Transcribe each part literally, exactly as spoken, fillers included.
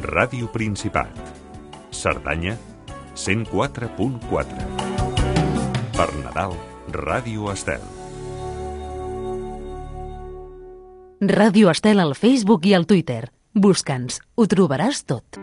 Ràdio Principat. Cerdanya, cent quatre punt quatre. Per Nadal, Ràdio Estel. Ràdio Estel al Facebook i al Twitter. Busca'ns, ho trobaràs tot.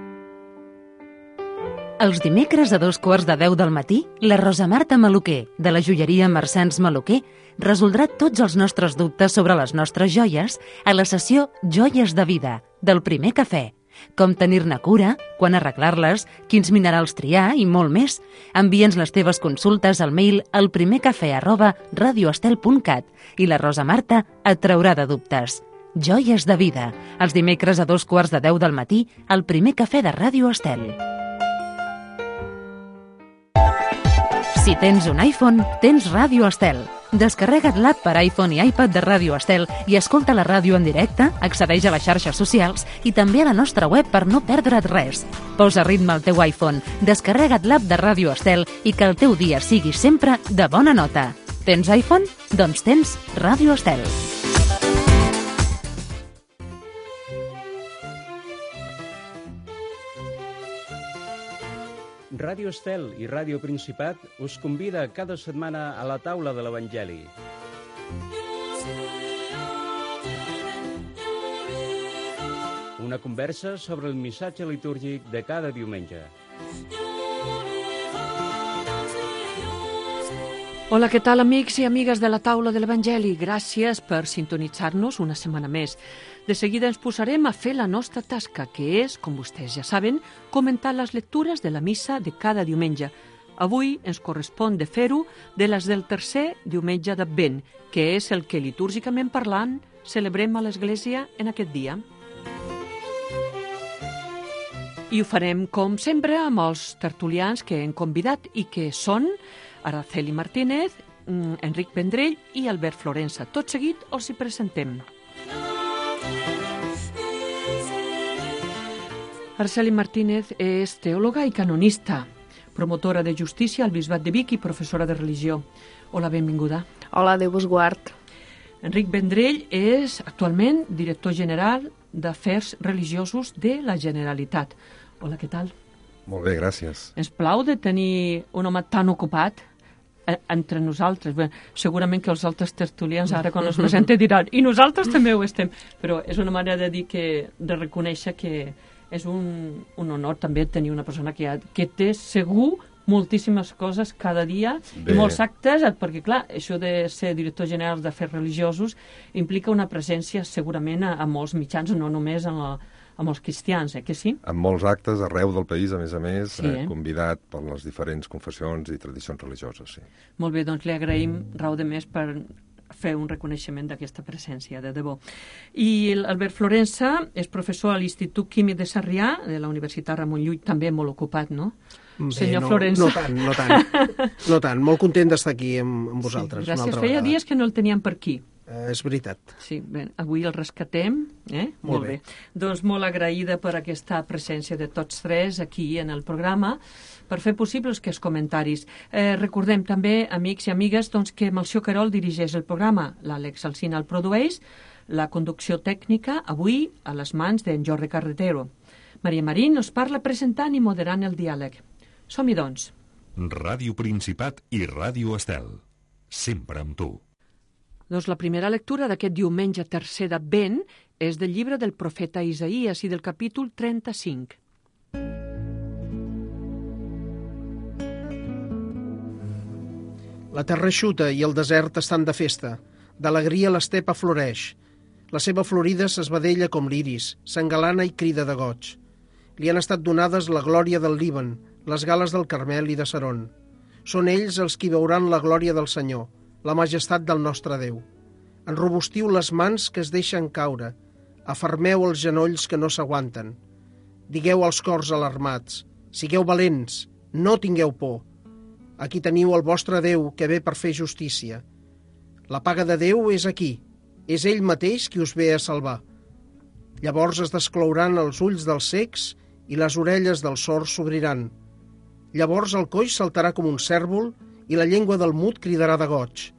Els dimecres a dos quarts de deu del matí, la Rosa Marta Maluquer, de la joieria Mercens Maluquer, resoldrà tots els nostres dubtes sobre les nostres joies a la sessió Joies de Vida, del primer cafè. Com tenir-ne cura, quan arreglar-les, quins minerals triar i molt més. Envia'ns les teves consultes al mail alprimercafè arroba radioestel punt cat i la Rosa Marta et traurà de dubtes. Joies de Vida, els dimecres a dos quarts de deu del matí, al primer cafè de Ràdio Estel. Si tens un iPhone, tens Ràdio Estel. Descarrega't l'app per iPhone i iPad de Ràdio Estel i escolta la ràdio en directe, accedeix a les xarxes socials i també a la nostra web per no perdre't res. Posa ritme al teu iPhone, descarrega't l'app de Ràdio Estel i que el teu dia sigui sempre de bona nota. Tens iPhone? Doncs tens Ràdio Estel. Ràdio Estel i Ràdio Principat us convida cada setmana a la taula de l'Evangeli. Una conversa sobre el missatge litúrgic de cada diumenge. Hola, què tal, amics i amigues de la taula de l'Evangeli? Gràcies per sintonitzar-nos una setmana més. De seguida ens posarem a fer la nostra tasca, que és, com vostès ja saben, comentar les lectures de la missa de cada diumenge. Avui ens correspon de fer-ho de les del tercer diumenge d'Advent, que és el que, litúrgicament parlant, celebrem a l'Església en aquest dia. I ho farem, com sempre, amb els tertulians que hem convidat i que són Araceli Martínez, Enric Vendrell i Albert Florensa. Tot seguit els hi presentem. Araceli Martínez és teòloga i canonista, promotora de justícia al Bisbat de Vic i professora de religió. Hola, benvinguda. Hola, Déu vos guard. Enric Vendrell és actualment director general d'Afers Religiosos de la Generalitat. Hola, què tal? Molt bé, gràcies. Ens plau de tenir un home tan ocupat entre nosaltres. Bé, segurament que els altres tertulians ara quan els presenten diran i nosaltres també ho estem, però és una manera de dir que, de reconèixer que és un, un honor també tenir una persona que, ha, que té segur moltíssimes coses cada dia, bé. I molts actes, perquè clar, això de ser director general d'Afers Religiosos implica una presència segurament a, a molts mitjans, no només en la amb els cristians, eh, que sí? Amb molts actes arreu del país, a més a més, sí, eh? eh, convidat per les diferents confessions i tradicions religioses, sí. Molt bé, doncs li agraïm raó de més per fer un reconeixement d'aquesta presència, de debò. I l'Albert Florensa és professor a l'Institut Químic de Sarrià, de la Universitat Ramon Llull, també molt ocupat, no? Bé, senyor no, Florensa. No tant, no tant. No tant, molt content d'estar aquí amb, amb vosaltres. Sí, gràcies, una altra feia vegada. dies que no el teníem per aquí. Eh, és veritat. Sí, bé, avui el rescatem, eh? Molt, molt bé. bé. Doncs molt agraïda per aquesta presència de tots tres aquí en el programa per fer possibles aquests comentaris. Eh, recordem també, amics i amigues, doncs, que Melcior Querol dirigeix el programa, l'Àlex Alsina el produeix, la conducció tècnica avui a les mans d'en Jordi Carretero. Maria Marín us parla presentant i moderant el diàleg. Som-hi, doncs. Ràdio Principat i Ràdio Estel. Sempre amb tu. Doncs la primera lectura d'aquest diumenge tercer d'Advent és del llibre del profeta Isaïes i del capítol trenta-cinc. La terra eixuta i el desert estan de festa. D'alegria l'estepa floreix. La seva florida s'esvedella com l'iris, s'engalana i crida de goig. Li han estat donades la glòria del Líban, les gales del Carmel i de Saron. Són ells els qui veuran la glòria del Senyor, la majestat del nostre Déu. Enrobustiu les mans que es deixen caure, afermeu els genolls que no s'aguanten. Digueu als cors alarmats, sigueu valents, no tingueu por. Aquí teniu el vostre Déu que ve per fer justícia. La paga de Déu és aquí, és ell mateix qui us ve a salvar. Llavors es desclouran els ulls dels cecs i les orelles dels sords s'obriran. Llavors el coix saltarà com un cèrvol i la llengua del mut cridarà de goig.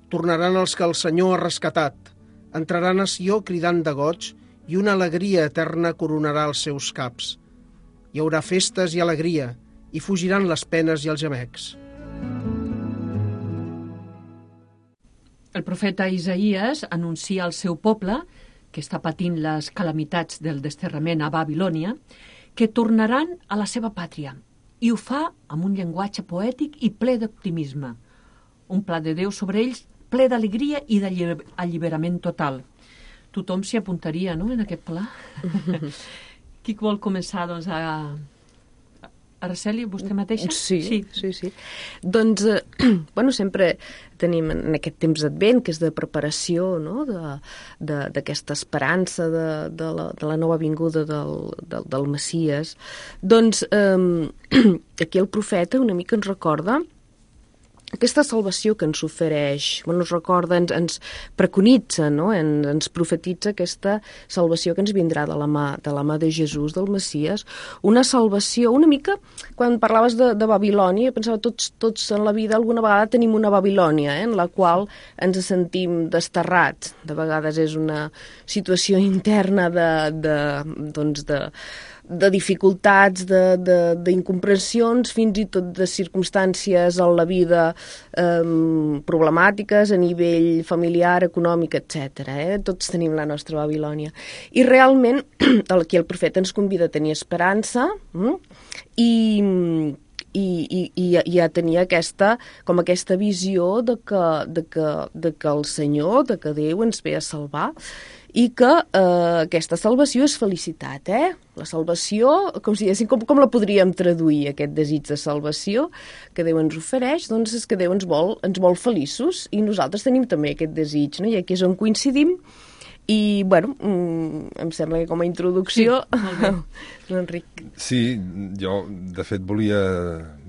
Tornaran els que el Senyor ha rescatat, entraran a Sió cridant de goig i una alegria eterna coronarà els seus caps. Hi haurà festes i alegria, i fugiran les penes i els gemecs. El profeta Isaïes anuncia al seu poble, que està patint les calamitats del desterrament a Babilònia, que tornaran a la seva pàtria, i ho fa amb un llenguatge poètic i ple d'optimisme. Un pla de Déu sobre ells ple d'alegria i d'alliberament total. Tothom s'hi apuntaria, no?, en aquest pla. Qui vol començar, doncs, a... Araceli, vostè mateixa? Sí, sí, sí. sí. Doncs, eh, bueno, sempre tenim en aquest temps d'advent, que és de preparació, no?, d'aquesta esperança de, de, la, de la nova vinguda del, del, del Messies. Doncs, eh, aquí el profeta una mica ens recorda aquesta salvació que ens ofereix, bueno, ens recorda, ens, ens preconitza, no? En, ens profetitza aquesta salvació que ens vindrà de la mà de la mà de Jesús, del Messies, una salvació, una mica, quan parlaves de, de Babilònia, pensava, tots, tots en la vida alguna vegada tenim una Babilònia, eh, en la qual ens sentim desterrats. De vegades és una situació interna de, de, doncs de, de dificultats, d'incomprensions, fins i tot de circumstàncies en la vida eh, problemàtiques a nivell familiar, econòmic, etcètera. Eh? Tots tenim la nostra Babilònia. I realment, aquí el profeta ens convida a tenir esperança mm? i... I, i, i a tenir aquesta, com aquesta visió de que, de, que, de que el Senyor, de que Déu ens ve a salvar i que eh, aquesta salvació és felicitat, eh? La salvació, com si diguéssim, com, com la podríem traduir, aquest desig de salvació que Déu ens ofereix, doncs és que Déu ens vol, ens vol feliços i nosaltres tenim també aquest desig, no? I aquí és on coincidim. I, bueno, em sembla que com a introducció... Sí, Enric. Sí, jo, de fet, volia,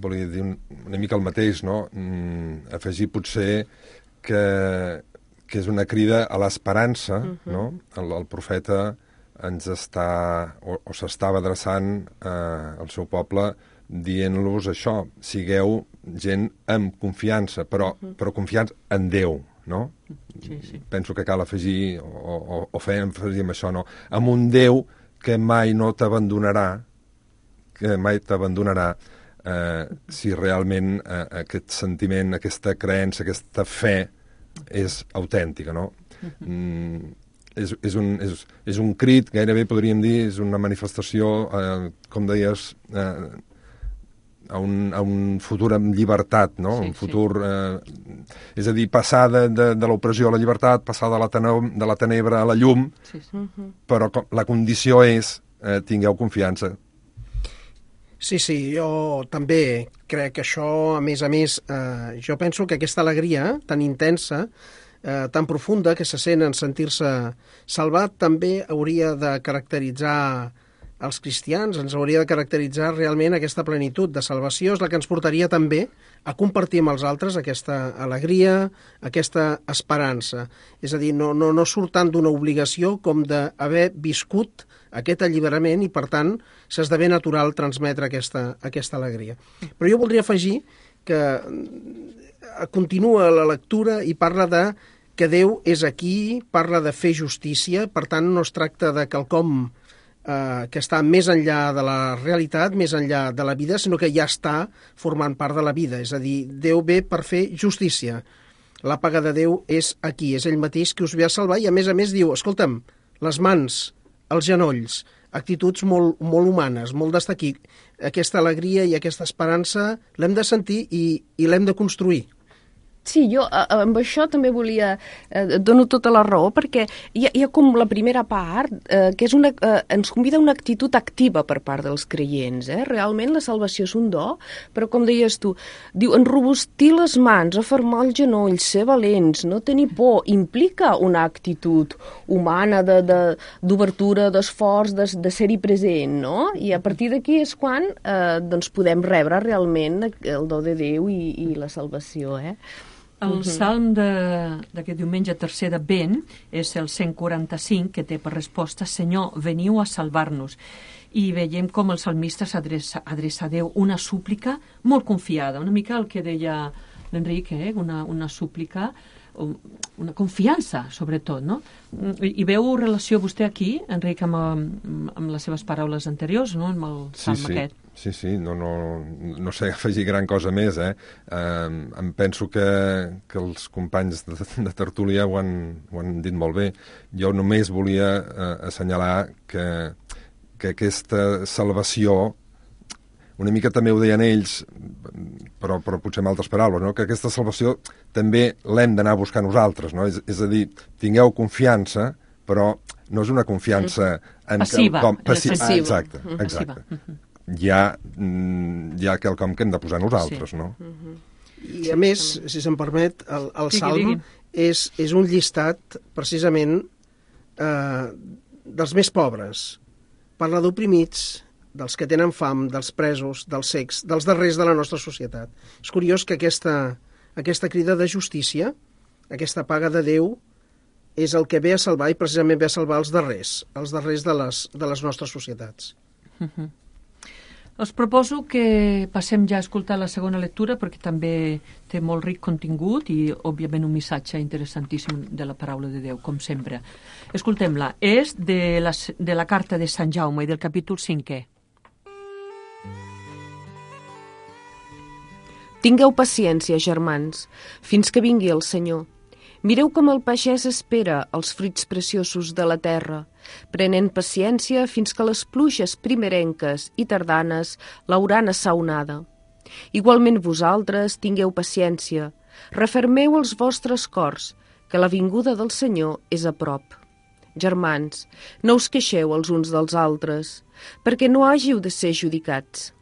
volia dir una mica el mateix, no? Mm, afegir potser que, que és una crida a l'esperança, uh-huh. no? El, el profeta ens està, o, o s'estava adreçant eh, al seu poble dient-los això, sigueu gent amb confiança, però, uh-huh. però confiança en Déu, no? Sí, sí. Penso que cal afegir o, o, o fer èmfasi amb això, no? Amb un Déu que mai no t'abandonarà, que mai t'abandonarà eh, si realment eh, aquest sentiment, aquesta creença, aquesta fe és autèntica, no? Mm, és, és, un, és, és un crit, gairebé podríem dir, és una manifestació, eh, com deies, eh, a un, a un futur amb llibertat, no? Sí, un futur... Sí. Eh, és a dir, passar de, de, de l'opressió a la llibertat, passar de la, tene- de la tenebra a la llum, sí, sí. Però la condició és eh, tingueu confiança. Sí, sí, jo també crec que això, a més a més, eh, jo penso que aquesta alegria tan intensa, eh, tan profunda, que se sent en sentir-se salvat, també hauria de caracteritzar els cristians, ens hauria de caracteritzar realment aquesta plenitud de salvació, és la que ens portaria també a compartir amb els altres aquesta alegria, aquesta esperança. És a dir, no, no, no surt tant d'una obligació com d'haver viscut aquest alliberament i, per tant, s'esdevé natural transmetre aquesta, aquesta alegria. Però jo voldria afegir que continua la lectura i parla de que Déu és aquí, parla de fer justícia, per tant, no es tracta de quelcom que està més enllà de la realitat, més enllà de la vida, sinó que ja està formant part de la vida. És a dir, Déu ve per fer justícia. La paga de Déu és aquí, és ell mateix qui us ve a salvar i, a més a més, diu, escolta'm, les mans, els genolls, actituds molt, molt humanes, molt d'estar aquí. Aquesta alegria i aquesta esperança l'hem de sentir i, i l'hem de construir. Sí, jo amb això també volia, eh, dono tota la raó, perquè hi ha, hi ha com la primera part, eh, que és una, eh, ens convida a una actitud activa per part dels creients. Eh? Realment la salvació és un do, però com deies tu, diu, enrobustir les mans, afermar els genolls, ser valents, no tenir por, implica una actitud humana d'obertura, de, de, d'esforç, de, de ser-hi present, no? I a partir d'aquí és quan eh, doncs podem rebre realment el do de Déu i, i la salvació, eh? El salm d'aquest diumenge tercer d'Advent és el cent quaranta-cinc, que té per resposta Senyor, veniu a salvar-nos. I veiem com el salmista s'adreça adreça a Déu una súplica molt confiada, una mica el que deia l'Enric, eh? una, una súplica una confiança, sobretot, no? I, i veu relació vostè aquí, Enric, amb, amb les seves paraules anteriors, no?, amb el salm sí, sí. aquest. Sí, sí, no, no, no sé afegir gran cosa més, eh? eh em penso que, que els companys de, de tertúlia ho han, ho han dit molt bé. Jo només volia eh, assenyalar que, que aquesta salvació, una mica també ho deien ells, però, però potser amb altres paraules, no? Que aquesta salvació també l'hem d'anar a buscar nosaltres, no? És, és a dir, tingueu confiança, però no és una confiança... En passiva. Com, passi passiva. Ah, exacte, exacte. Passiva. Hi ha, hi ha quelcom que hem de posar nosaltres, sí. No? I a més, si se'm permet, el, el digui, Salm digui. És, és un llistat, precisament, eh, dels més pobres. Parla d'oprimits, dels que tenen fam, dels presos, dels cecs, dels darrers de la nostra societat. És curiós que aquesta, aquesta crida de justícia, aquesta paga de Déu, és el que ve a salvar, i precisament ve a salvar els darrers, els darrers de les, de les nostres societats. Uh-huh. Els proposo que passem ja a escoltar la segona lectura, perquè també té molt ric contingut i, òbviament, un missatge interessantíssim de la paraula de Déu, com sempre. Escoltem-la. És de la, de la carta de Sant Jaume i del capítol cinquè. Tingueu paciència, germans, fins que vingui el Senyor. Mireu com el pagès espera els fruits preciosos de la terra, prenent paciència fins que les pluges primerenques i tardanes l'hauran assaonada. Igualment vosaltres tingueu paciència, refermeu els vostres cors, que la vinguda del Senyor és a prop. Germans, no us queixeu els uns dels altres, perquè no hàgiu de ser judicats.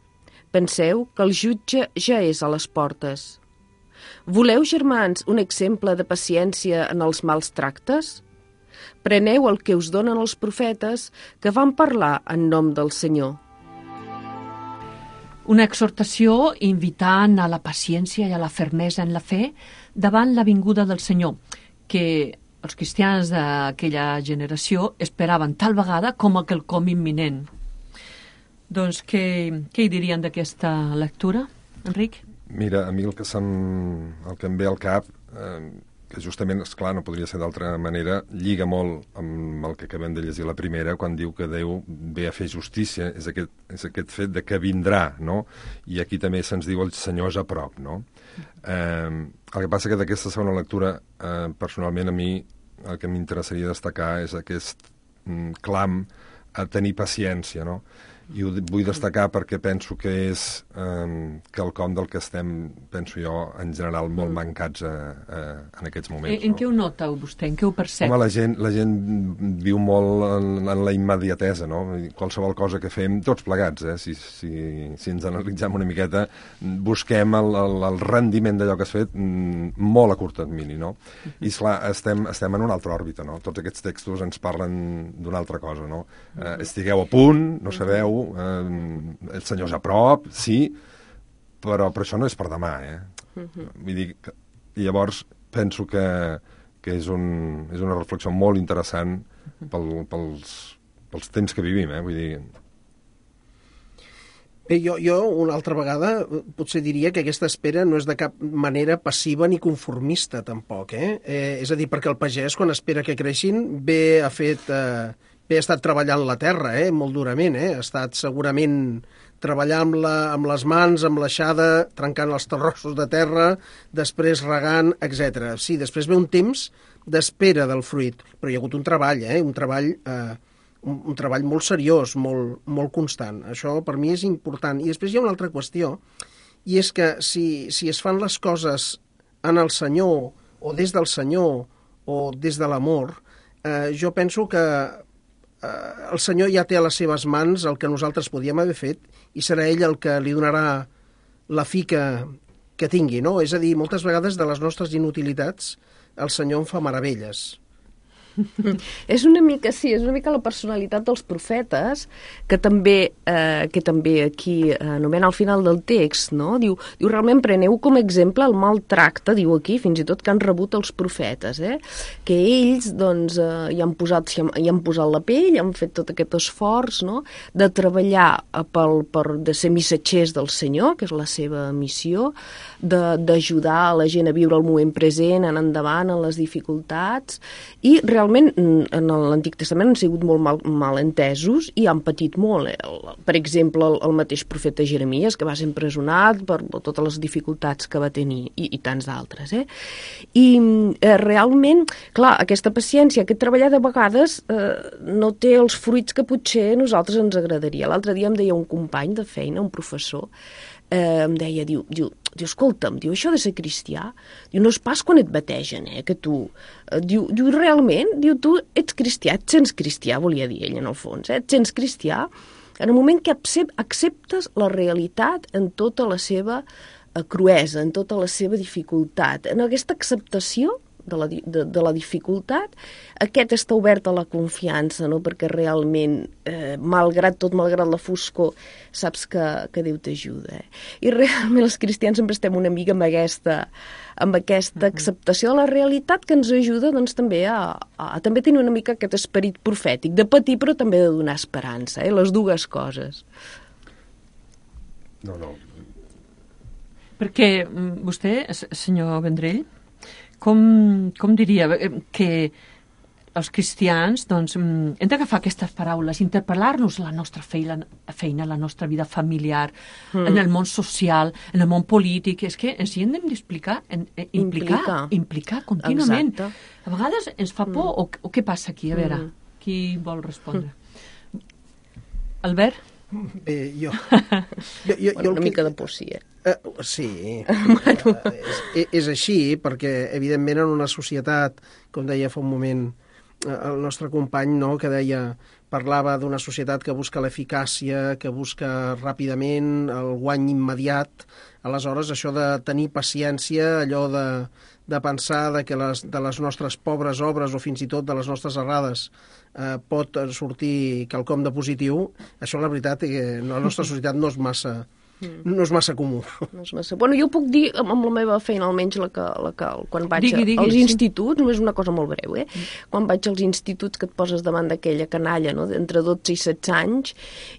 Penseu que el jutge ja és a les portes. Voleu, germans, un exemple de paciència en els mals tractes? Preneu el que us donen els profetes que van parlar en nom del Senyor. Una exhortació invitant a la paciència i a la fermesa en la fe davant la vinguda del Senyor, que els cristians d'aquella generació esperaven tal vegada com a quelcom imminent. Doncs què, què hi dirien d'aquesta lectura, Enric? Mira, a mi el que, se'm, el que em ve al cap, eh, que justament, esclar, no podria ser d'altra manera, lliga molt amb el que acabem de llegir la primera, quan diu que Déu ve a fer justícia, és aquest, és aquest fet de que vindrà, no? I aquí també se'ns diu el Senyor és a prop, no? Eh, el que passa que d'aquesta segona lectura, eh, personalment a mi el que m'interessaria destacar és aquest mm, clam a tenir paciència, no? I ho vull destacar perquè penso que és eh, quelcom del que estem, penso jo, en general molt mancats a, a, en aquests moments. En, en no? què ho nota vostè? En què ho percep? Home, la gent, la gent viu molt en, en la immediatesa, no? Qualsevol cosa que fem, tots plegats, eh? Si, si, si ens analitzem una miqueta, busquem el, el, el rendiment d'allò que has fet molt a curt termini, no? I, esclar, estem, estem en una altra òrbita, no? Tots aquests textos ens parlen d'una altra cosa, no? Eh, estigueu a punt, no sabeu, Eh, el Senyor és a prop, sí, però, però això no és per demà, eh? Uh-huh. Vull dir, que, i llavors penso que, que és, un, és una reflexió molt interessant pel, pels, pels temps que vivim, eh? Vull dir... Bé, jo, jo una altra vegada potser diria que aquesta espera no és de cap manera passiva ni conformista, tampoc, eh? eh és a dir, perquè el pagès, quan espera que creixin, bé ha fet... Eh, Bé, ha estat treballant la terra, eh, molt durament, eh? Ha estat segurament treballant amb, la, amb les mans, amb l'aixada, trencant els terrossos de terra, després regant, etcètera. Sí, després ve un temps d'espera del fruit, però hi ha hagut un treball, eh? Un treball, eh, un, un treball molt seriós, molt, molt constant. Això per mi és important. I després hi ha una altra qüestió, i és que si, si es fan les coses en el Senyor, o des del Senyor, o des de l'amor, eh, jo penso que Uh, el Senyor ja té a les seves mans el que nosaltres podíem haver fet i serà ell el que li donarà la fi que, que tingui, no? És a dir, moltes vegades de les nostres inutilitats el Senyor en fa meravelles. És una mica, sí, és una mica la personalitat dels profetes, que també, eh, que també aquí anomena al final del text, no? Diu, diu, realment preneu com a exemple el maltracte, diu aquí, fins i tot que han rebut els profetes, eh? Que ells, doncs, eh, hi, han posat, hi han posat la pell, han fet tot aquest esforç, no? De treballar pel, per, de ser missatgers del Senyor, que és la seva missió, d'ajudar a la gent a viure el moment present, en endavant, en les dificultats, i realment en l'Antic Testament han sigut molt mal, mal entesos i han patit molt. Eh? Per exemple, el, el mateix profeta Jeremies, que va ser empresonat per totes les dificultats que va tenir, i, i tants d'altres. Eh? I eh, realment, clar, aquesta paciència, aquest treballar de vegades eh, no té els fruits que potser a nosaltres ens agradaria. L'altre dia em deia un company de feina, un professor, eh, em deia, diu, diu, diu, escolta'm, diu, això de ser cristià, diu, no és pas quan et bategen, eh, que tu, eh, diu, diu, realment, diu, tu ets cristià, et sents cristià, volia dir ell en el fons, eh, et sents cristià en el moment que acceptes la realitat en tota la seva eh, cruesa, en tota la seva dificultat, en aquesta acceptació de la, de, de la dificultat, aquest està obert a la confiança, no? Perquè realment, eh, malgrat tot, malgrat la foscor, saps que, que Déu t'ajuda. Eh? I realment els cristians sempre estem una mica amb aquesta, amb aquesta acceptació de la realitat que ens ajuda doncs, també a, a, a també tenir una mica aquest esperit profètic, de patir però també de donar esperança, eh? Les dues coses. No, no. Perquè vostè, senyor Vendrell, Com, com diria que els cristians doncs, hem d'agafar aquestes paraules, interpel·lar-nos la nostra feina, feina, la nostra vida familiar, mm. en el món social, en el món polític. És que ens hi hem d'explicar, implicar, implicar, implicar contínuament. Exacte. A vegades ens fa por, mm. o, o què passa aquí? A veure, mm. qui vol respondre? Mm. Albert? Eh, jo. jo, jo, bueno, jo una que... mica de por, sí, eh? Uh, sí, bueno. uh, és, és així, perquè evidentment en una societat, com deia fa un moment uh, el nostre company, no, que deia, parlava d'una societat que busca l'eficàcia, que busca ràpidament el guany immediat. Aleshores, això de tenir paciència, allò de, de pensar de que les, de les nostres pobres obres o fins i tot de les nostres errades eh, pot sortir quelcom de positiu, això la veritat és que la nostra societat no és massa... Mm. No és massa comú. No és massa... Bueno, jo puc dir, amb la meva feina, almenys la que, la que, quan vaig digui, digui, als sí. instituts, només una cosa molt breu, eh? Mm. Quan vaig als instituts que et poses davant d'aquella canalla, no?, d'entre dotze i setze anys,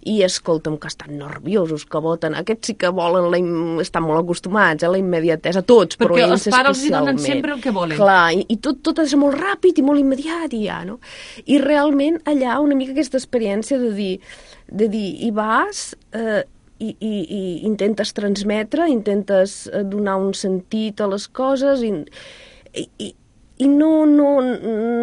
i escolta'm, que estan nerviosos, que voten. Aquests sí que volen, la im... estan molt acostumats a la immediatesa, tots, però perquè ells els pares els donen especialment. sempre el que volen. Clar, i, i tot, tot és molt ràpid i molt immediat, i ja, no? I realment allà una mica aquesta experiència de dir, de dir hi vas... Eh, I, i, i intentes transmetre, intentes donar un sentit a les coses i, i, i no, no,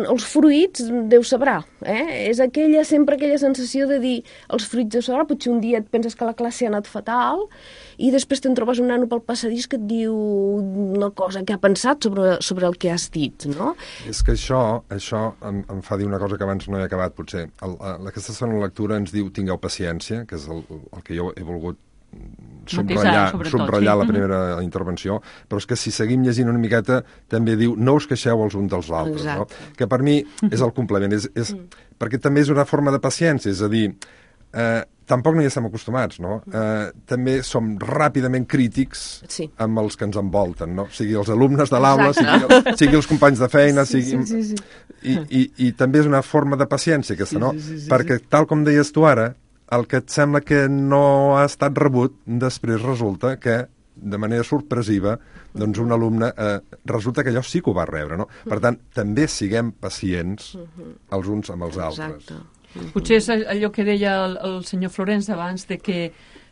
els fruits Déu sabrà, eh? És aquella, sempre aquella sensació de dir els fruits Déu sabrà, potser un dia et penses que la classe ha anat fatal i després te'n trobes un nano pel passadís que et diu una cosa que ha pensat sobre, sobre el que has dit, no? És que això, això em, em fa dir una cosa que abans no he acabat, potser. El, el, aquesta segona lectura ens diu tingueu paciència, que és el, el que jo he volgut subratllar, subratllar sí. la primera mm-hmm. intervenció, però és que si seguim llegint una miqueta també diu no us queixeu els uns dels altres, no? Que per mi és el complement, és, és, mm. perquè també és una forma de paciència, és a dir, eh, tampoc no hi estem acostumats, no? Eh, també som ràpidament crítics sí. amb els que ens envolten, no? Sigui els alumnes de l'aula, sigui, sigui els companys de feina, sí, sigui... Sí, sí, sí. I, i, I també és una forma de paciència aquesta, no? Sí, sí, sí, perquè sí. tal com deies tu ara, el que et sembla que no ha estat rebut, després resulta que, de manera sorpresiva, doncs un alumne eh, resulta que allò sí que ho va rebre, no? Per tant, també siguem pacients els uns amb els altres. Exacte. Potser és allò que deia el, el senyor Florenç abans, de que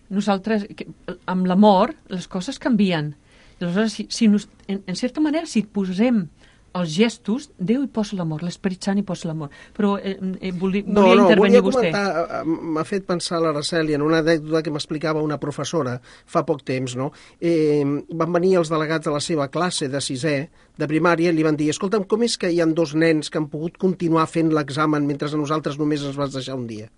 nosaltres, que, amb l'amor, les coses canvien. I aleshores, si, si nos, en, en certa manera, si posem els gestos, Déu hi posa l'amor, l'Esperit Sant hi posa l'amor. Però eh, eh, volia, no, volia no, intervenir volia vostè. Comentar, m'ha fet pensar l'Araceli en una anècdota que m'explicava una professora fa poc temps, no? Eh, van venir els delegats de la seva classe de sisè, de primària, i li van dir, escolta'm, com és que hi ha dos nens que han pogut continuar fent l'examen mentre a nosaltres només ens vas deixar un dia?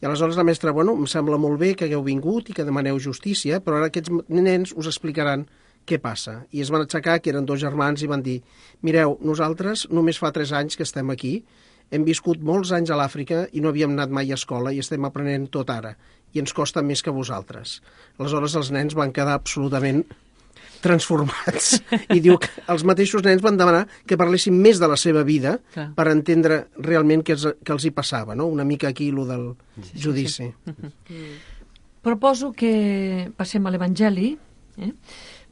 I aleshores la mestra, bueno, em sembla molt bé que hagueu vingut i que demaneu justícia, però ara aquests nens us explicaran què passa? I es van aixecar, que eren dos germans, i van dir, mireu, nosaltres només fa tres anys que estem aquí, hem viscut molts anys a l'Àfrica i no havíem anat mai a escola i estem aprenent tot ara, i ens costa més que vosaltres. Aleshores els nens van quedar absolutament transformats. I diu que els mateixos nens van demanar que parlessin més de la seva vida Clar. per entendre realment què, els, què els hi passava, no? Una mica aquí, lo del Sí, judici. sí, sí. Proposo que passem a l'Evangeli. Eh?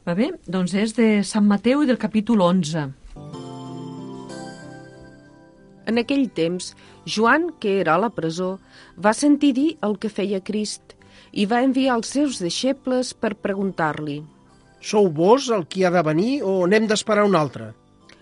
Va bé? Doncs és de Sant Mateu i del capítol onze. En aquell temps, Joan, que era a la presó, va sentir dir el que feia Crist i va enviar els seus deixebles per preguntar-li. Sou vos el qui ha de venir o n'hem d'esperar un altre?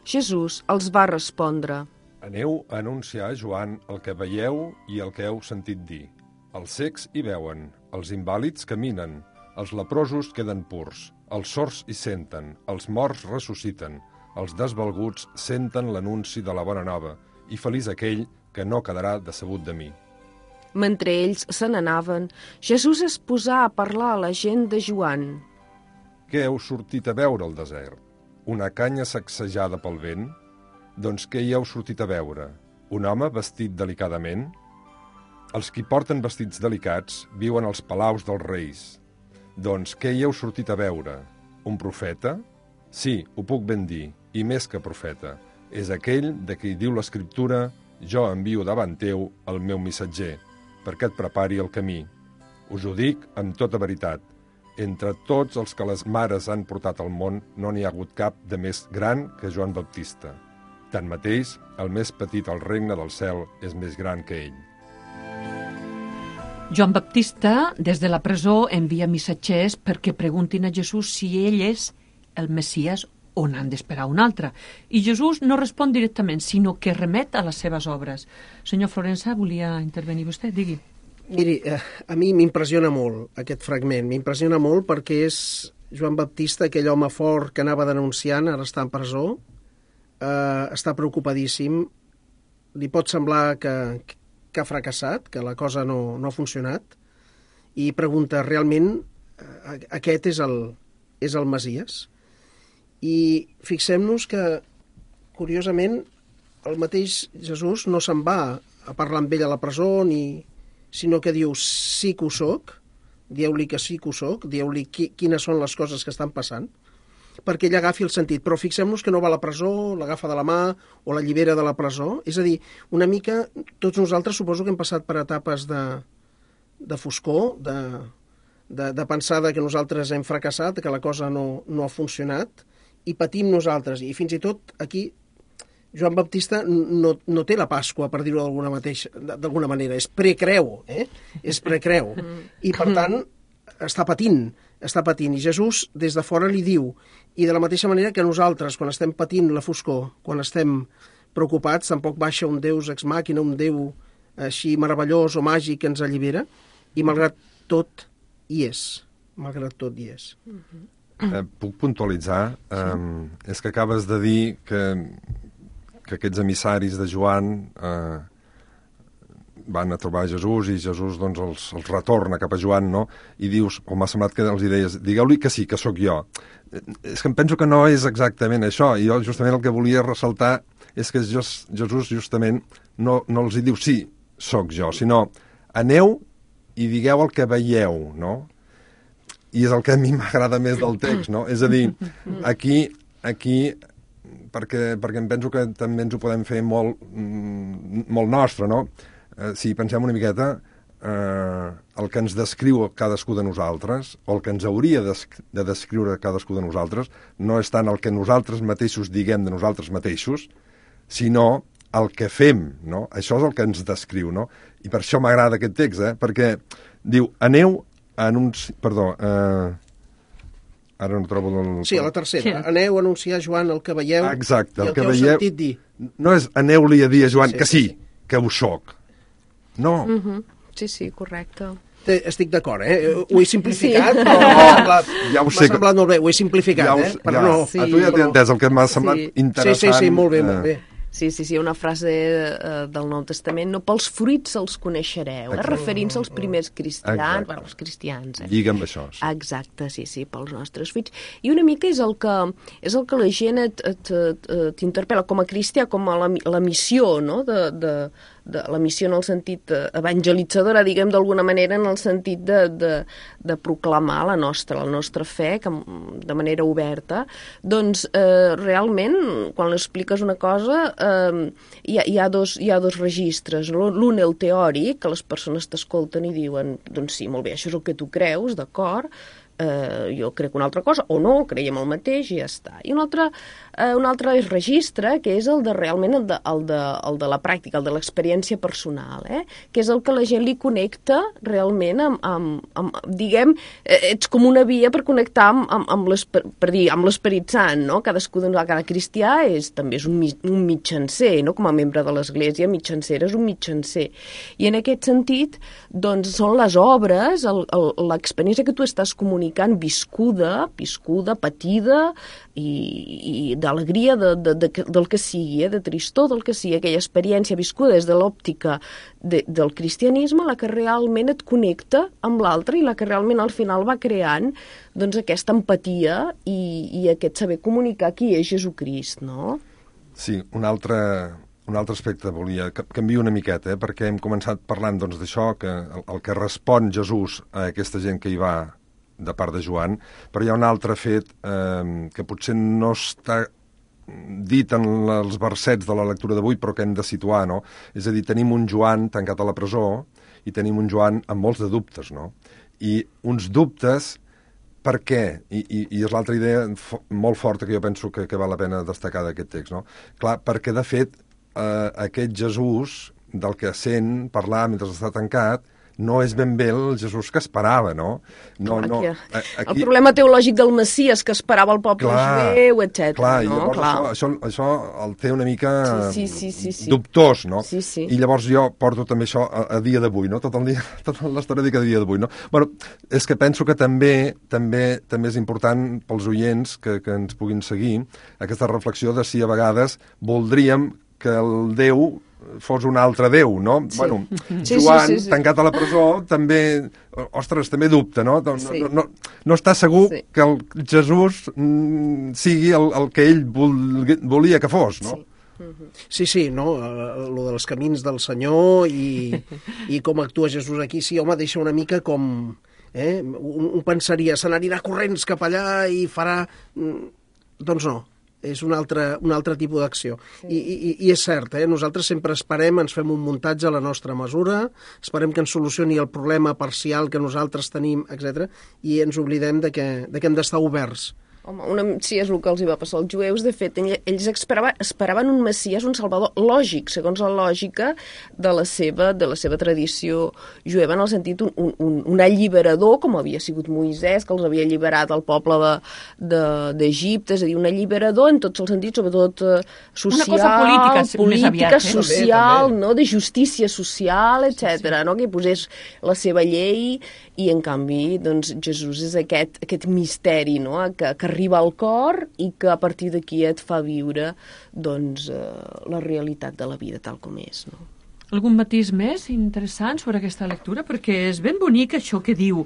Jesús els va respondre. Aneu a anunciar a Joan el que veieu i el que heu sentit dir. Els cecs hi veuen, els invàlids caminen, els leprosos queden purs, els sords hi senten, els morts ressusciten, els desvalguts senten l'anunci de la bona nova, i feliç aquell que no quedarà decebut de mi. Mentre ells se n'anaven, Jesús es posà a parlar a la gent de Joan. Què heu sortit a veure al desert? Una canya sacsejada pel vent? Doncs què hi heu sortit a veure? Un home vestit delicadament? Els qui porten vestits delicats viuen als palaus dels reis. Doncs què hi heu sortit a veure? Un profeta? Sí, ho puc ben dir, i més que profeta. És aquell de qui diu l'Escriptura, jo envio davant teu el meu missatger, perquè et prepari el camí. Us ho dic amb tota veritat. Entre tots els que les mares han portat al món, no n'hi ha hagut cap de més gran que Joan Baptista. Tanmateix, el més petit al regne del cel és més gran que ell. Joan Baptista, des de la presó, envia missatgers perquè preguntin a Jesús si ell és el Messies o n'han d'esperar un altre. I Jesús no respon directament, sinó que remet a les seves obres. Senyor Florença, volia intervenir vostè? Digui. Miri, eh, a mi m'impressiona molt aquest fragment. M'impressiona molt perquè és Joan Baptista, aquell home fort que anava denunciant, ara està en presó, eh, està preocupadíssim, li pot semblar que, que ha fracassat, que la cosa no, no ha funcionat, i pregunta, realment, eh, aquest és el, és el Messies? I fixem-nos que, curiosament, el mateix Jesús no se'n va a parlar amb ell a la presó, ni, sinó que diu, sí que ho soc, dieu-li que sí que ho soc, dieu-li qui, quines són les coses que estan passant, perquè ell agafi el sentit. Però fixem-nos que no va a la presó, l'agafa de la mà o la llibera de la presó. És a dir, una mica, tots nosaltres suposo que hem passat per etapes de, de foscor, de, de, de pensar que nosaltres hem fracassat, que la cosa no, no ha funcionat, i patim nosaltres. I fins i tot aquí Joan Baptista no, no té la Pasqua, per dir-ho d'alguna mateixa, d'alguna manera. És precreu, eh? És precreu. I, per tant, està patint, està patint. I Jesús, des de fora, li diu, i de la mateixa manera que nosaltres, quan estem patint la foscor, quan estem preocupats, tampoc baixa un Deus ex machina, un Déu així meravellós o màgic que ens allibera, i malgrat tot hi és. Malgrat tot hi és. Eh, puc puntualitzar? Eh, és que acabes de dir que, que aquests emissaris de Joan eh, van a trobar Jesús i Jesús doncs, els, els retorna cap a Joan, no? I dius, o m'ha semblat que els hi deies, digueu-li que sí, que sóc jo. Eh, és que em penso que no és exactament això, i jo justament el que volia ressaltar és que Jesús justament no, no els hi diu sí, sóc jo, sinó aneu i digueu el que veieu, no? I és el que a mi m'agrada més del text, no? És a dir, aquí, aquí perquè, perquè em penso que també ens ho podem fer molt, molt nostre, no? Eh, si pensem una miqueta, eh, el que ens descriu cadascú de nosaltres, o el que ens hauria de descriure cadascú de nosaltres, no és tant el que nosaltres mateixos diguem de nosaltres mateixos, sinó el que fem, no? Això és el que ens descriu, no? I per això m'agrada aquest text, eh? Perquè diu, aneu Anunci... Perdó, eh... ara no trobo... El... Sí, a la tercera. Sí. Aneu a anunciar a Joan el que veieu. Exacte, i el, el que, que heu veieu... sentit dir. No és aneu-li a dir a Joan Sí, sí, que sí, sí, sí. que ho soc. No. Mm -hmm. Sí, sí, correcte. Té, estic d'acord, eh? Ho he simplificat, Sí. però m'ha semblat, Ja ho sé m'ha semblat molt bé. Ho he simplificat, Ja ho eh? sé, Però ja. no... Sí. A tu ja t'he però- entès, el que m'ha semblat Sí. interessant. Sí, sí, sí, molt bé, eh, molt bé. Sí, sí, sí, una frase eh, del Nou Testament, no pels fruits els coneixereu, eh? Referint-se als primers cristians, Exacte. bueno, els cristians. Eh? Lliga amb això. Sí. Exacte, sí, sí, pels nostres fruits. I una mica és el que, és el que la gent et, et, et, t'interpel·la com a cristià, com a la, la missió, no?, de, de, de la missió en el sentit evangelitzadora, diguem d'alguna manera, en el sentit de, de, de proclamar la nostra, la nostra fe que, de manera oberta. Doncs eh, realment, quan l'expliques una cosa, eh, hi, ha, hi, ha dos, hi ha dos registres. L'un, el teòric, que les persones t'escolten i diuen, doncs sí, molt bé, això és el que tu creus, d'acord, eh, jo crec una altra cosa, o no, creiem el mateix i ja està. I un altre, eh, un altre registre, que és el de realment el de, el de, el de la pràctica, el de l'experiència personal, eh? Que és el que la gent li connecta realment amb, amb, amb diguem, eh, ets com una via per connectar amb, amb, amb l'Esperit Sant, no? Cadascú, cada cristià és, també és un, un mitjancer, no? Com a membre de l'Església, mitjancer és un mitjancer. I en aquest sentit, doncs, són les obres, l'experiència que tu estàs comunicant, viscuda, viscuda, patida i, i d'alegria de, de, de, del que sigui, eh? De tristor del que sigui, aquella experiència viscuda des de l'òptica de, del cristianisme, la que realment et connecta amb l'altre i la que realment al final va creant doncs, aquesta empatia i, i aquest saber comunicar qui és Jesucrist, no? Sí, un altre, un altre aspecte volia que canviï una miqueta, eh? Perquè hem començat parlant doncs, d'això, que el, el que respon Jesús a aquesta gent que hi va de part de Joan, però hi ha un altre fet eh, que potser no està dit en els versets de la lectura d'avui, però que hem de situar, no? És a dir, tenim un Joan tancat a la presó i tenim un Joan amb molts de dubtes, no? I uns dubtes, per què? I, i, i és l'altra idea fo molt forta que jo penso que, que val la pena destacar d'aquest text, no? Clar, perquè, de fet, eh, aquest Jesús del que sent parlar mentre està tancat no és ben bé el Jesús que esperava, no? no, clar, no aquí, aquí... El problema teològic del Messies que esperava el poble clar, jueu, etcètera. Clar, no? llavors clar. Això, això, això el té una mica sí, sí, sí, sí. dubtós, no? Sí, sí. I llavors jo porto també això a, a dia d'avui, no? Tot el dia, tota l'estona dic a dia d'avui, no? Bueno, és que penso que també també també és important pels oients que, que ens puguin seguir aquesta reflexió de si a vegades voldríem que el Déu fos un altre Déu, no? Sí. Bueno, sí, Joan, sí, sí, sí. tancat a la presó, també, ostres, també dubta, no? No, Sí. no, no, no està segur Sí. que el Jesús mm, sigui el, el que ell vol, volia que fos, no? Sí. Sí, sí, no? Uh, lo dels camins del Senyor i, i com actua Jesús aquí, sí, home, deixa una mica com... Eh? Un, un pensaria, se n'anirà corrents cap allà i farà... Doncs no, és un altre, un altre tipus d'acció. Sí. I, i, I és cert, eh? Nosaltres sempre esperem, ens fem un muntatge a la nostra mesura, esperem que ens solucioni el problema parcial que nosaltres tenim, etcètera, i ens oblidem de que, de que hem d'estar oberts. Home, una, sí, és el que els hi va passar als jueus. De fet, ells esperava, esperaven un Messies, un salvador lògic, segons la lògica de la seva, de la seva tradició jueva, en el sentit un, un, un alliberador, com havia sigut Moisès, que els havia alliberat al poble d'Egipte, de, de, és a dir, un alliberador en tots els sentits, sobretot social, una cosa política, política aviat, eh? social, també, també. no? De justícia social, etcètera, sí, sí. No? Que posés la seva llei i, en canvi, doncs, Jesús és aquest, aquest misteri, no? que, que arriba al cor i que a partir d'aquí et fa viure doncs, eh, la realitat de la vida tal com és. No? Algun matís més interessant sobre aquesta lectura? Perquè és ben bonic això que diu: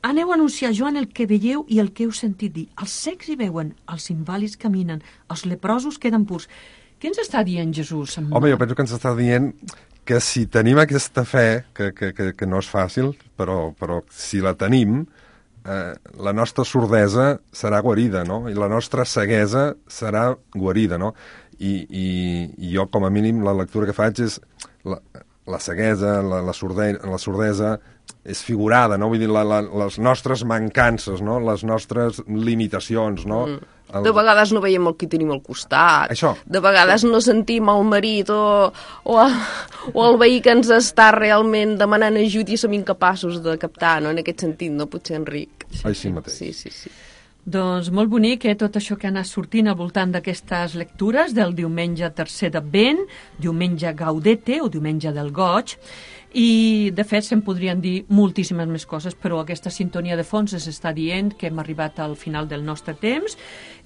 aneu a anunciar a Joan el que veieu i el que heu sentit dir. Els cecs hi veuen, els invàlids caminen, els leprosos queden purs. Què ens està dient Jesús? Amb... Home, jo penso que ens està dient que si tenim aquesta fe, que, que, que, que no és fàcil, però, però si la tenim, eh, la nostra sordesa serà guarida, no? I la nostra ceguesa serà guarida, no? I, i, i jo, com a mínim, la lectura que faig és la, la ceguesa, la, la, sorde, la sordesa és figurada, no? Vull dir, la, la, les nostres mancances, no? Les nostres limitacions, no? Mm. El... De vegades no veiem el que tenim al costat. Això. De vegades no sentim el marit o, o, o el veí que ens està realment demanant ajut i som incapaços de captar, no? En aquest sentit, no? Potser, Enric. Sí, Així mateix. Sí, sí, sí. Doncs molt bonic, eh, tot això que ha anat sortint al voltant d'aquestes lectures del diumenge tercer d'Advent, diumenge Gaudete o diumenge del Goig, I, de fet, se'n podrien dir moltíssimes més coses, però aquesta sintonia de fons ens està dient que hem arribat al final del nostre temps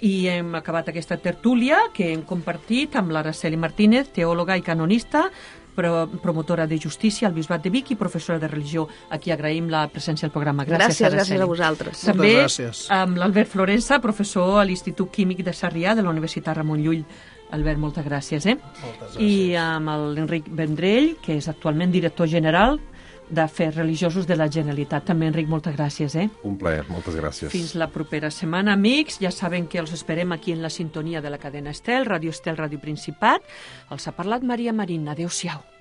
i hem acabat aquesta tertúlia que hem compartit amb l'Araceli Martínez, teòloga i canonista, promotora de justícia al Bisbat de Vic i professora de religió. Aquí agraïm la presència al programa. Gràcies, gràcies, Araceli. gràcies a vosaltres. També gràcies. amb l'Albert Florença, professor a l'Institut Químic de Sarrià de la Universitat Ramon Llull. Albert, moltes gràcies. Eh? Moltes gràcies. I amb l'Enric Vendrell, que és actualment director general d'Afers Religiosos de la Generalitat. També, Enric, moltes gràcies. Eh? Un plaer, moltes gràcies. Fins la propera setmana, amics. Ja saben que els esperem aquí en la sintonia de la cadena Estel, Ràdio Estel, Ràdio Principat. Els ha parlat Maria Marín. Adéu-siau.